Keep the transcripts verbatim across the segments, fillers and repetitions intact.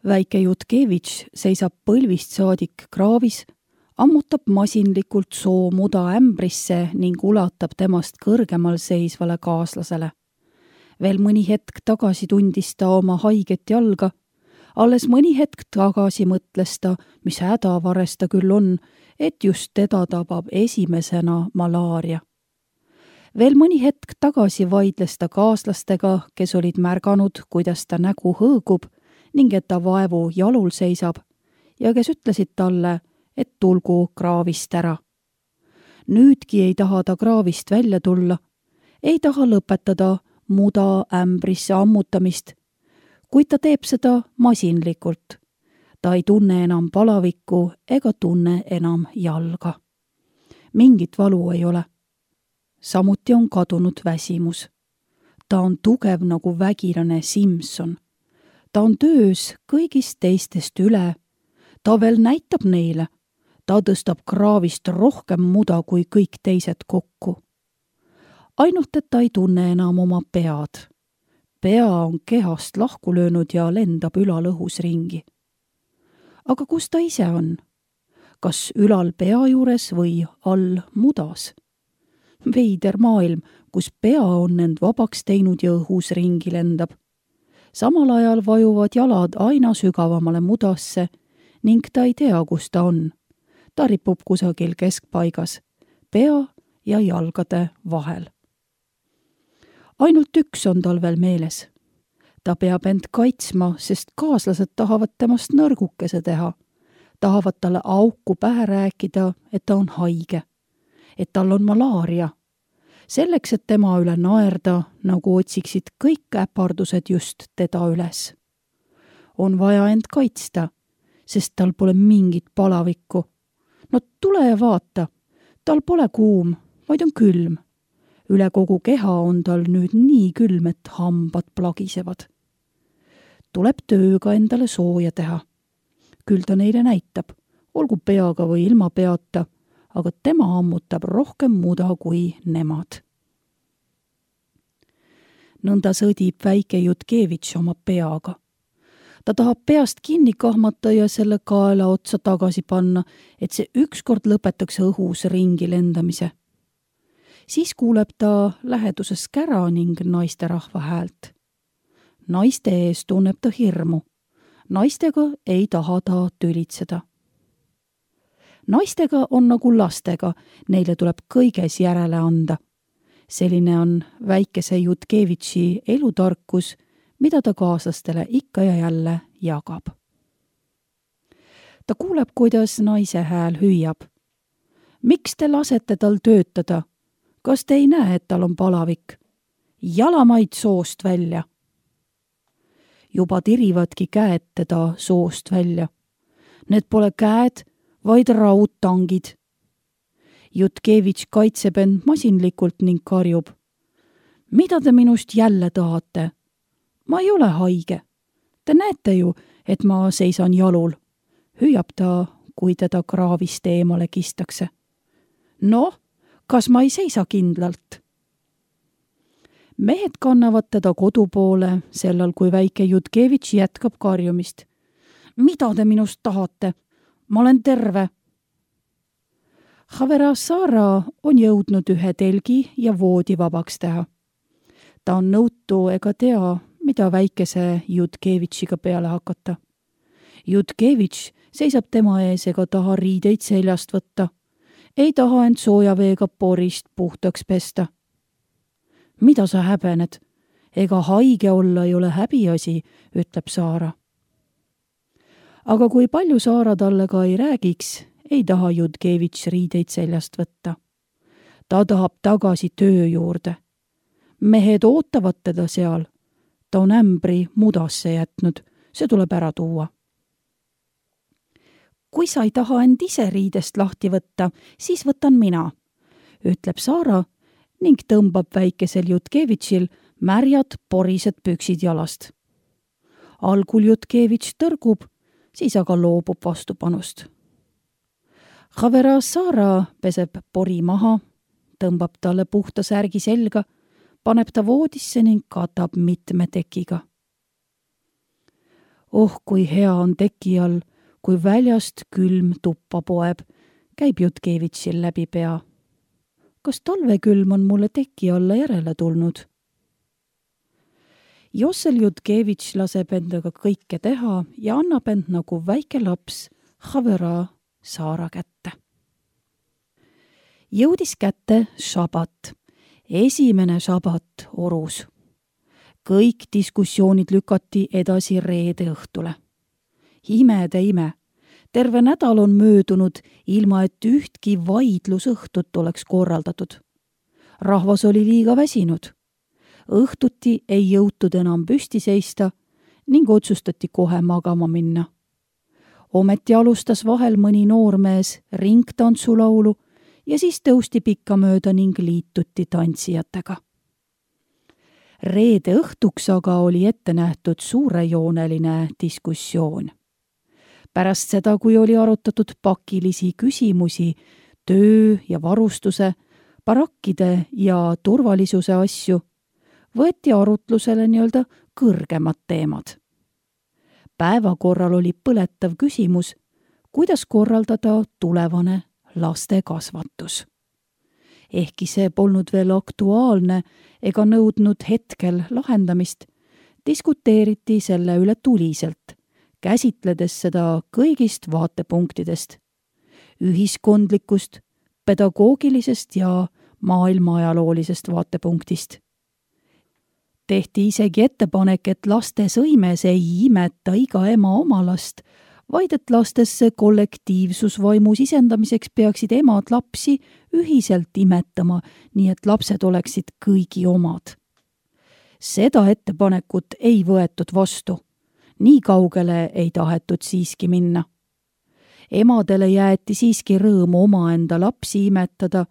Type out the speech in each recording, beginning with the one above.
Väike Jutkevitš seisab põlvist saadik kraavis, ammutab masinlikult soo muda ämbrisse ning ulatab temast kõrgemal seisvale kaaslasele. Veel mõni hetk tagasi tundis ta oma haiget jalga, alles mõni hetk tagasi mõtles ta, mis hädavares ta küll on, et just teda tabab esimesena malaaria. Veel mõni hetk tagasi vaidles ta kaaslastega, kes olid märganud, kuidas ta nägu hõõgub ning et ta vaevu jalul seisab ja kes ütlesid talle, et tulgu kraavist ära. Nüüdki ei taha ta kraavist välja tulla, ei taha lõpetada muda ämbrisse ammutamist, kuid ta teeb seda masinlikult. Ta ei tunne enam palavikku ega tunne enam jalga. Mingit valu ei ole. Samuti on kadunud väsimus. Ta on tugev nagu vägilane Simson. Ta on töös kõigist teistest üle. Ta veel näitab neile. Ta tõstab kraavist rohkem muda kui kõik teised kokku. Ainult, et ta ei tunne enam oma pead. Pea on kehast lahku löönud ja lendab ülal õhus ringi. Aga kus ta ise on? Kas ülal pea juures või all mudas? Veider maailm, kus pea on end vabaks teinud ja õhus ringi lendab. Samal ajal vajuvad jalad aina sügavamale mudasse ning ta ei tea, kus ta on. Ta ripub kusagil keskpaigas, pea ja jalgade vahel. Ainult üks on tal veel meeles. Ta peab end kaitsma, sest kaaslased tahavad temast nõrgukese teha. Tahavad talle auku pähe rääkida, et ta on haige, et tal on malaaria. Selleks, et tema üle naerda, nagu otsiksid kõik äpardused just teda üles. On vaja end kaitsta, sest tal pole mingit palavikku. No tule ja vaata, tal pole kuum, vaid on külm. Üle kogu keha on tal nüüd nii külm, et hambad plagisevad. Tuleb tööga endale sooja teha. Küll ta neile näitab, olgu peaga või ilma peata, aga tema ammutab rohkem muda kui nemad. Nõnda sõdib väike Jutkevitš oma peaga. Ta tahab peast kinni kahmata ja selle kaela otsa tagasi panna, et see ükskord lõpetaks õhus ringi lendamise. Siis kuuleb ta läheduses kära ning naisterahva häält. Naiste ees tunneb ta hirmu. Naistega ei taha ta tülitseda. Naistega on nagu lastega, neile tuleb kõiges järele anda. Selline on väikese Jutkevitši elutarkus, mida ta kaaslastele ikka ja jälle jagab. Ta kuuleb, kuidas naise hääl hüüab. Miks te lasete tal töötada? Kas te ei näe, et tal on palavik? Jalamaid soost välja. Juba tirivadki käed teda soost välja. Need pole käed, vaid raudtangid. Jutkevitš kaitseb end masinlikult ning karjub. Mida te minust jälle tahate? Ma ei ole haige. Te näete ju, et ma seisan jalul. Hüüab ta, kui teda kraavist eemale kistakse. Noh, kas ma ei seisa kindlalt? Mehed kannavad teda kodu poole, sellal kui väike Jutkevitš jätkab karjumist. Mida te minust tahate? Ma olen terve. Havera Sara on jõudnud ühe telgi ja voodi vabaks teha. Ta on nõutu ega tea, mida väikese Jutkevitšiga peale hakata. Jutkevitš seisab tema ees ega taha riideid seljast võtta. Ei taha end soojaveega porist puhtaks pesta. Mida sa häbened? Ega haige olla ei ole häbiasi, ütleb Saara. Aga kui palju Saara talle ka ei räägiks, ei taha Jutkevitš riideid seljast võtta. Ta tahab tagasi töö juurde. Mehed ootavad teda seal. Ta on ämbri mudasse jätnud, see tuleb ära tuua. Kui sa ei taha end ise riidest lahti võtta, siis võtan mina, ütleb Saara ning tõmbab väikesel Jutkevitšil märjad porised püksid jalast. Algul Jutkevitš tõrgub, siis aga loobub vastupanust. Havera Saara peseb pori maha, tõmbab talle puhta särgi selga, paneb ta voodisse ning katab mitme tekiga. Oh, kui hea on teki all, kui väljast külm tuppa poeb, käib Jutkevitšil läbi pea. Kas talvekülm on mulle teki alla järele tulnud? Jossel Jutkevitš laseb endaga kõike teha ja annab end nagu väike laps Havera Saara kätte. Jõudis kätte šabat, esimene šabat orus. Kõik diskussioonid lükati edasi reede õhtule. Imede ime, terve nädal on möödunud, ilma et ühtki vaidlusõhtut oleks korraldatud. Rahvas oli liiga väsinud. Õhtuti ei jõutud enam püsti seista ning otsustati kohe magama minna. Ometi alustas vahel mõni noormees ringtantsulaulu ja siis tõusti pikkamööda ning liituti tantsijatega. Reede õhtuks aga oli ette nähtud suurejooneline diskussioon. Pärast seda, kui oli arutatud pakilisi küsimusi, töö ja varustuse, barakkide ja turvalisuse asju, võeti arutlusele nii-öelda kõrgemad teemad. Päevakorral oli põletav küsimus, kuidas korraldada tulevane laste kasvatus. Ehkki see polnud veel aktuaalne ega nõudnud hetkel lahendamist, diskuteeriti selle üle tuliselt, käsitledes seda kõigist vaatepunktidest, ühiskondlikust, pedagoogilisest ja maailmaajaloolisest vaatepunktist. Tehti isegi ettepanek, et laste sõimes ei imeta iga ema oma last, vaid et lastesse kollektiivsusvaimu sisendamiseks peaksid emad lapsi ühiselt imetama, nii et lapsed oleksid kõigi omad. Seda ettepanekut ei võetud vastu. Nii kaugele ei tahetud siiski minna. Emadele jäeti siiski rõõmu omaenda lapsi imetada,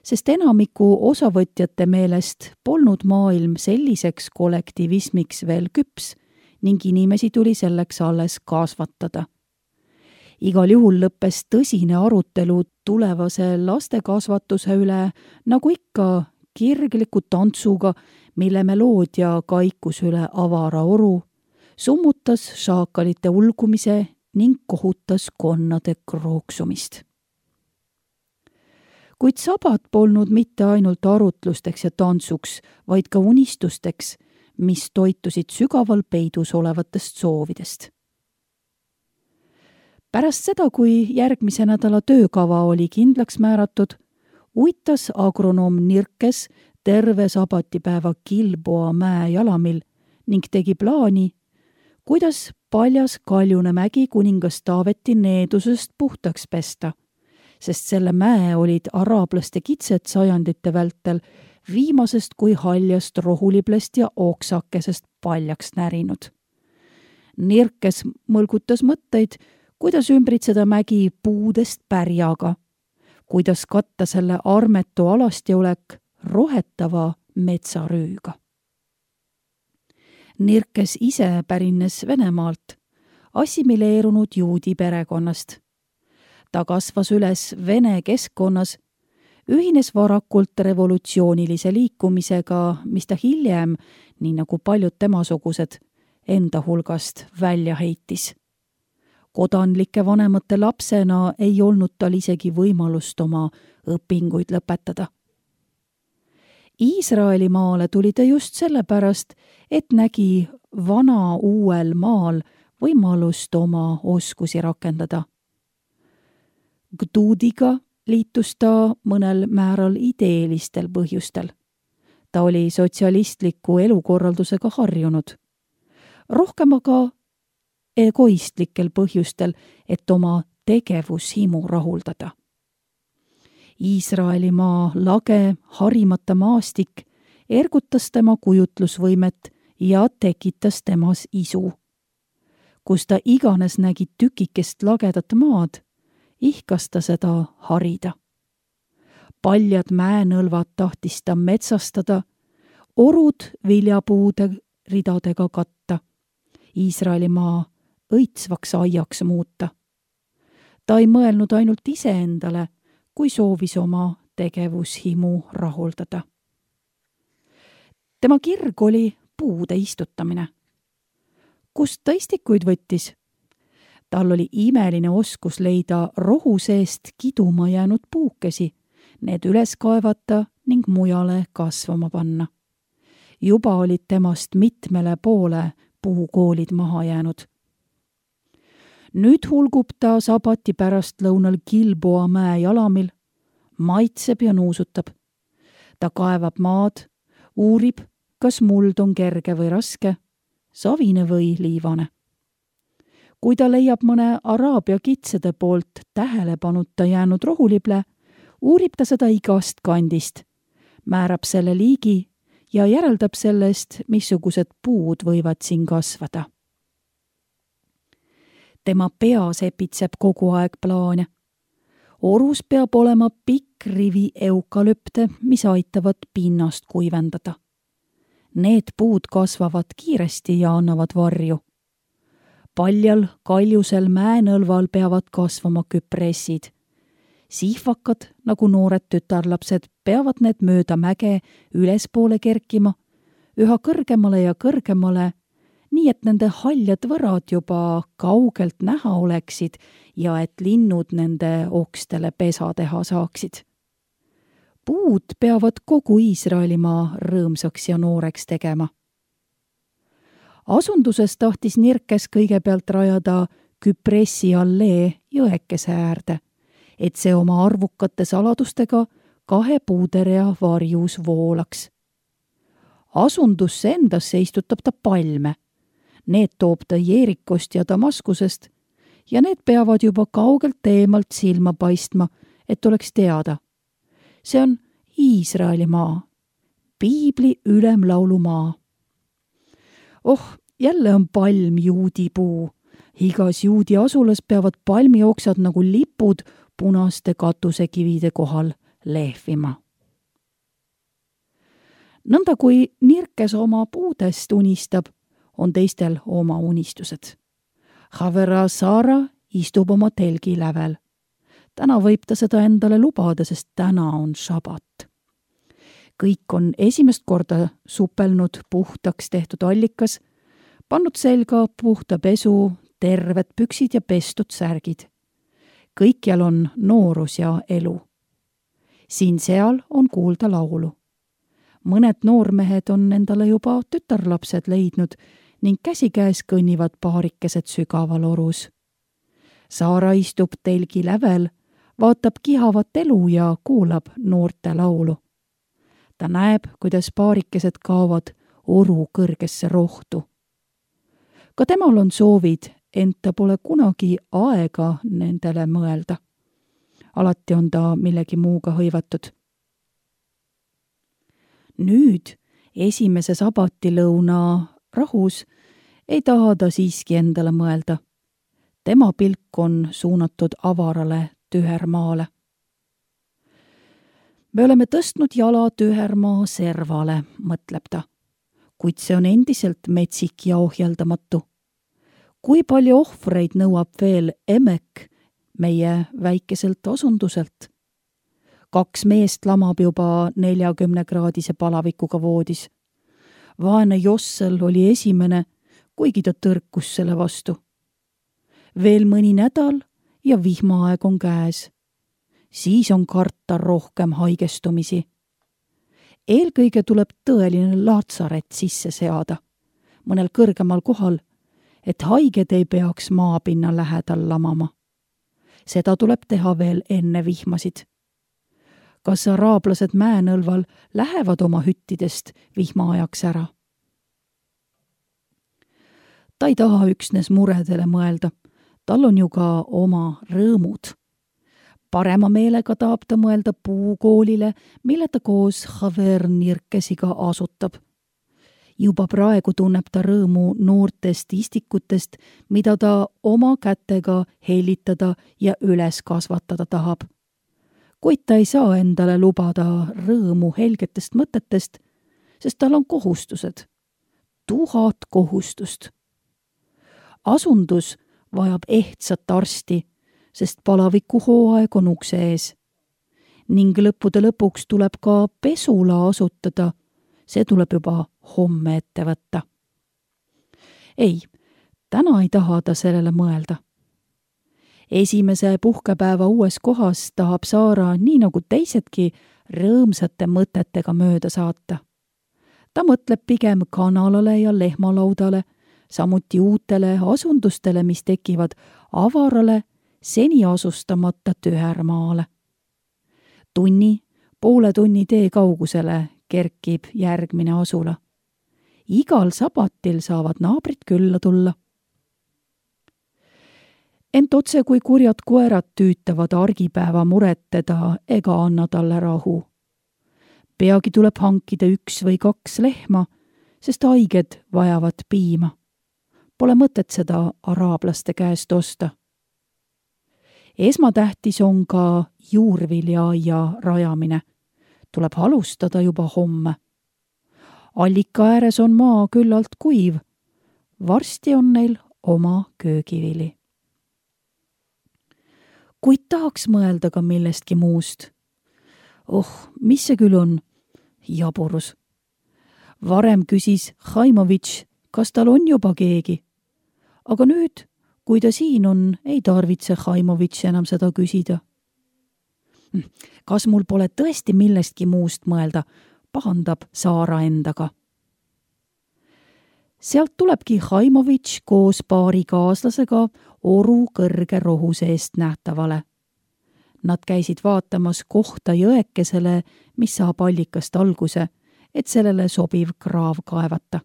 sest enamiku osavõtjate meelest polnud maailm selliseks kollektivismiks veel küps ning inimesi tuli selleks alles kasvatada. Igal juhul lõppes tõsine arutelu tulevase lastekasvatuse üle, nagu ikka kirgliku tantsuga, mille meloodia kaikus üle avara oru, summutas šaakalite ulgumise ning kohutas konnade krooksumist. Kuid sabat polnud mitte ainult arutlusteks ja tantsuks, vaid ka unistusteks, mis toitusid sügaval peidus olevatest soovidest. Pärast seda, kui järgmise nädala töökava oli kindlaks määratud, uitas agronoom Nirkes terve sabatipäeva Kilboa mäe jalamil ning tegi plaani, kuidas paljas Kaljune mägi kuningas Taaveti needusest puhtaks pesta, sest selle mäe olid araablaste kitsed sajandite vältel viimasest kui haljast rohuliblest ja oksakesest paljaks närinud. Nirkes mõlgutas mõtteid, kuidas ümbritseda mägi puudest pärjaga, kuidas katta selle armetu alastjõulek rohetava metsarüüga. Nirkes ise pärines Venemaalt, assimileerunud juudi perekonnast. Ta kasvas üles vene keskkonnas, ühines varakult revolutsioonilise liikumisega, mis ta hiljem, nii nagu paljud temasugused, enda hulgast välja heitis. Kodanlike vanemate lapsena ei olnud tal isegi võimalust oma õpinguid lõpetada. Iisraeli maale tuli ta just sellepärast, et nägi vana uuel maal võimalust oma oskusi rakendada. Gdudiga liitus ta mõnel määral ideelistel põhjustel. Ta oli sotsialistliku elukorraldusega harjunud. Rohkem aga egoistlikel põhjustel, et oma tegevushimu rahuldada. Iisraelimaa lage, harimata maastik ergutas tema kujutlusvõimet ja tekitas temas isu. Kus ta iganes nägi tükikest lagedat maad, ihkas ta seda harida. Paljad mäenõlvad tahtis ta metsastada, orud viljapuude ridadega katta, Iisraelimaa õitsvaks aiaks muuta. Ta ei mõelnud ainult iseendale, kui soovis oma tegevushimu rahuldada. Tema kirg oli puude istutamine. Kust ta istikuid võttis? Tal oli imeline oskus leida rohu seest kiduma jäänud puukesi, need üles kaevata ning mujale kasvama panna. Juba olid temast mitmele poole puukoolid maha jäänud. Nüüd hulgub ta sabati pärast lõunal Gilboa mäe jalamil, maitseb ja nuusutab. Ta kaevab maad, uurib, kas muld on kerge või raske, savine või liivane. Kui ta leiab mõne Araabia kitsede poolt tähelepanuta jäänud rohulible, uurib ta seda igast kandist, määrab selle liigi ja järeldab sellest, missugused puud võivad siin kasvada. Tema pea sepitseb kogu aeg plaane. Orus peab olema pikk rivi eukalüpte, mis aitavad pinnast kuivendada. Need puud kasvavad kiiresti ja annavad varju. Paljal kaljusel mäenõlval peavad kasvama küpressid. Sihvakad, nagu noored tütarlapsed, peavad need mööda mäge ülespoole kerkima, üha kõrgemale ja kõrgemale, nii et nende haljad võrad juba kaugelt näha oleksid ja et linnud nende okstele pesa teha saaksid. Puud peavad kogu Iisraelimaa rõõmsaks ja nooreks tegema. Asunduses tahtis Nirkes kõigepealt rajada küpressi allee jõekese äärde, et see oma arvukate saladustega kahe puuderea varjus voolaks. Asundusse endasse istutab ta palme. Need toob ta Jeerikost ja Damaskusest ja need peavad juba kaugelt eemalt silma paistma, et oleks teada. See on Iisraeli maa, piibli ülemlaulumaa. Oh, jälle on palm juudi puu. Igas juudi asulas peavad palmioksad nagu lipud punaste katusekivide kohal lehvima. Nõnda kui Nirkes oma puudest unistab, on teistel oma unistused. Havera Saara istub oma telgi lävel. Täna võib ta seda endale lubada, sest täna on šabat. Kõik on esimest korda supelnud puhtaks tehtud allikas, pannud selga puhta pesu, terved püksid ja pestud särgid. Kõikjal on noorus ja elu. Siin-seal on kuulda laulu. Mõned noormehed on endale juba tütarlapsed leidnud ning käsikäes kõnnivad paarikesed sügaval orus. Saara istub telgi lävel, vaatab kihavat elu ja kuulab noorte laulu. Ta näeb, kuidas paarikesed kaovad oru kõrgesse rohtu. Ka temal on soovid, ent ta pole kunagi aega nendele mõelda. Alati on ta millegi muuga hõivatud. Nüüd, esimese sabatilõuna rahus, ei taha ta siiski endale mõelda. Tema pilk on suunatud avarale tühermaale. Me oleme tõstnud jala tühermaa servale, mõtleb ta, kuid see on endiselt metsik ja ohjeldamatu. Kui palju ohvreid nõuab veel Emek meie väikeselt asunduselt? Kaks meest lamab juba neljakümne kraadise palavikuga voodis. Vaene Jossel oli esimene, kuigi ta tõrkus selle vastu. Veel mõni nädal ja vihmaaeg on käes. Siis on karta rohkem haigestumisi. Eelkõige tuleb tõeline laatsaret sisse seada, mõnel kõrgemal kohal, et haiged ei peaks maapinna lähedal lamama. Seda tuleb teha veel enne vihmasid. Kas araablased mäenõlval lähevad oma hüttidest vihmaajaks ära? Ta ei taha üksnes muredele mõelda, tal on ju ka oma rõõmud. Parema meelega tahab ta mõelda puukoolile, mille ta koos Haver Nirkesiga asutab. Juba praegu tunneb ta rõõmu noortest istikutest, mida ta oma kätega hellitada ja üles kasvatada tahab. Kuid ta ei saa endale lubada rõõmu helgetest mõtetest, sest tal on kohustused. Tuhat kohustust. Asundus vajab ehtsat arsti, sest palaviku hooaeg on ukse ees. Ning lõppude lõpuks tuleb ka pesula asutada, see tuleb juba homme ette võtta. Ei, täna ei taha ta sellele mõelda. Esimese puhkepäeva uues kohas tahab Saara, nii nagu teisedki, rõõmsate mõtetega mööda saata. Ta mõtleb pigem kanalale ja lehmalaudale, samuti uutele asundustele, mis tekivad avarale, seni asustamata tühermaale. Tunni, poole tunni tee kaugusele kerkib järgmine asula. Igal sabatil saavad naabrid külla tulla. Ent otse kui kurjad koerad tüütavad argipäeva muret teda ega anna talle rahu. Peagi tuleb hankida üks või kaks lehma, sest haiged vajavad piima. Pole mõtet seda araablaste käest osta. Esmatähtis on ka juurviljaaia rajamine. Tuleb alustada juba homme. Allika ääres on maa küllalt kuiv. Varsti on neil oma köögivili. Kuid tahaks mõelda ka millestki muust. Oh, mis see küll on? Jaburus. Varem küsis Haimovitš, kas tal on juba keegi. Aga nüüd, kui ta siin on, ei tarvitse Haimovitš enam seda küsida. Kas mul pole tõesti millestki muust mõelda, pahandab Saara endaga. Sealt tulebki Haimovitš koos paari kaaslasega oru kõrge rohu seest nähtavale. Nad käisid vaatamas kohta jõekesele, mis saab allikast alguse, et sellele sobiv kraav kaevata.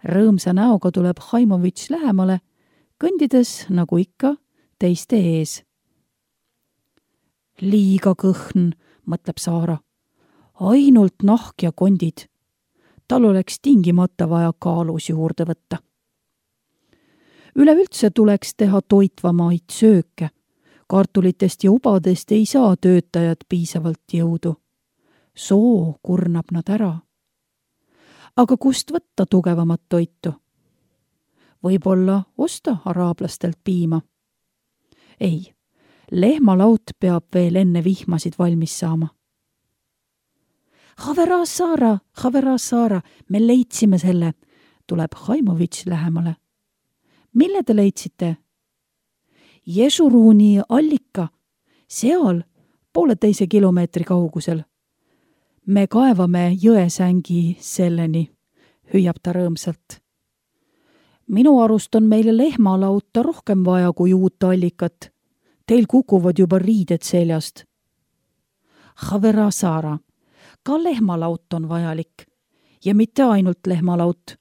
Rõõmsa näoga tuleb Haimovitš lähemale, kõndides, nagu ikka, teiste ees. Liiga kõhn, mõtleb Saara. Ainult nahk ja kondid. Tal oleks tingimata vaja kaalus juurde võtta. Üleüldse tuleks teha toitvamaid sööke. Kartulitest ja ubadest ei saa töötajad piisavalt jõudu. Soo kurnab nad ära. Aga kust võtta tugevamat toitu? Võib-olla osta araablastelt piima. Ei, lehmalaut peab veel enne vihmasid valmis saama. Havera Saara, Havera Saara, me leidsime selle, tuleb Haimovitš lähemale. Mille te leidsite? Ješuruuni allika, seal pooleteise kilomeetri kaugusel. Me kaevame jõesängi selleni, hüüab ta rõõmsalt. Minu arust on meile lehmalauta rohkem vaja kui uut allikat. Teil kukuvad juba riided seljast. Havera Saara, ka lehmalaut on vajalik. Ja mitte ainult lehmalaut.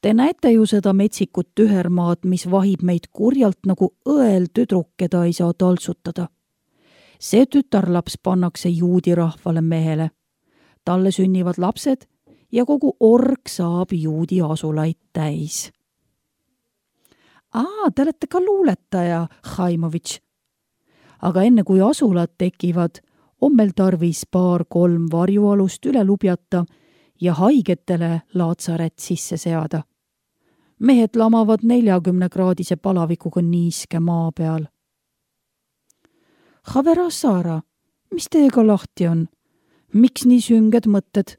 Te näete ju seda metsikut tühermaad, mis vahib meid kurjalt nagu õel tüdruk, keda ei saa taltsutada. See tütarlaps pannakse juudi rahvale mehele. Talle sünnivad lapsed ja kogu org saab juudi asulaid täis. Aa, te olete ka luuletaja, Haimovitš. Aga enne kui asulad tekivad, on meil tarvis paar-kolm varjualust üle lubjata ja haigetele laatsaret sisse seada. Mehed lamavad neljakümne kraadise palavikuga niiske maa peal. Havera Saara, mis teiega lahti on? Miks nii sünged mõtted?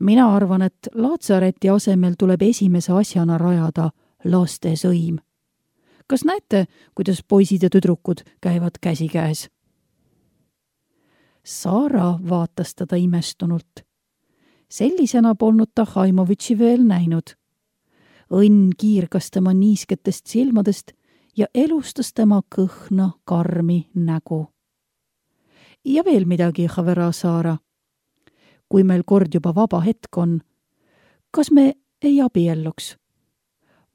Mina arvan, et laatsareti asemel tuleb esimese asjana rajada laste sõim. Kas näete, kuidas poisid ja tüdrukud käivad käsikäes? Saara vaatas teda imestunult. Sellisena polnud ta Haimovitši veel näinud. Õnn kiirgas tema niisketest silmadest ja elustas tema kõhna karmi nägu. Ja veel midagi, Havera Saara. Kui meil kord juba vaba hetk on, kas me ei abielluks?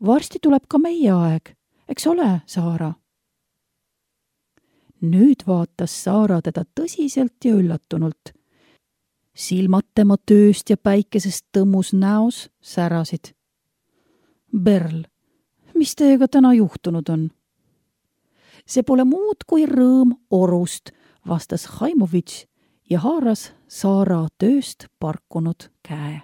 Varsti tuleb ka meie aeg, eks ole, Saara? Nüüd vaatas Saara teda tõsiselt ja üllatunult. Silmad tema tööst ja päikesest tõmmus näos särasid. Berl, mis teiega täna juhtunud on? See pole muud kui rõõm orust, vastas Haimovitš ja haaras Saara tööst parkunud käe.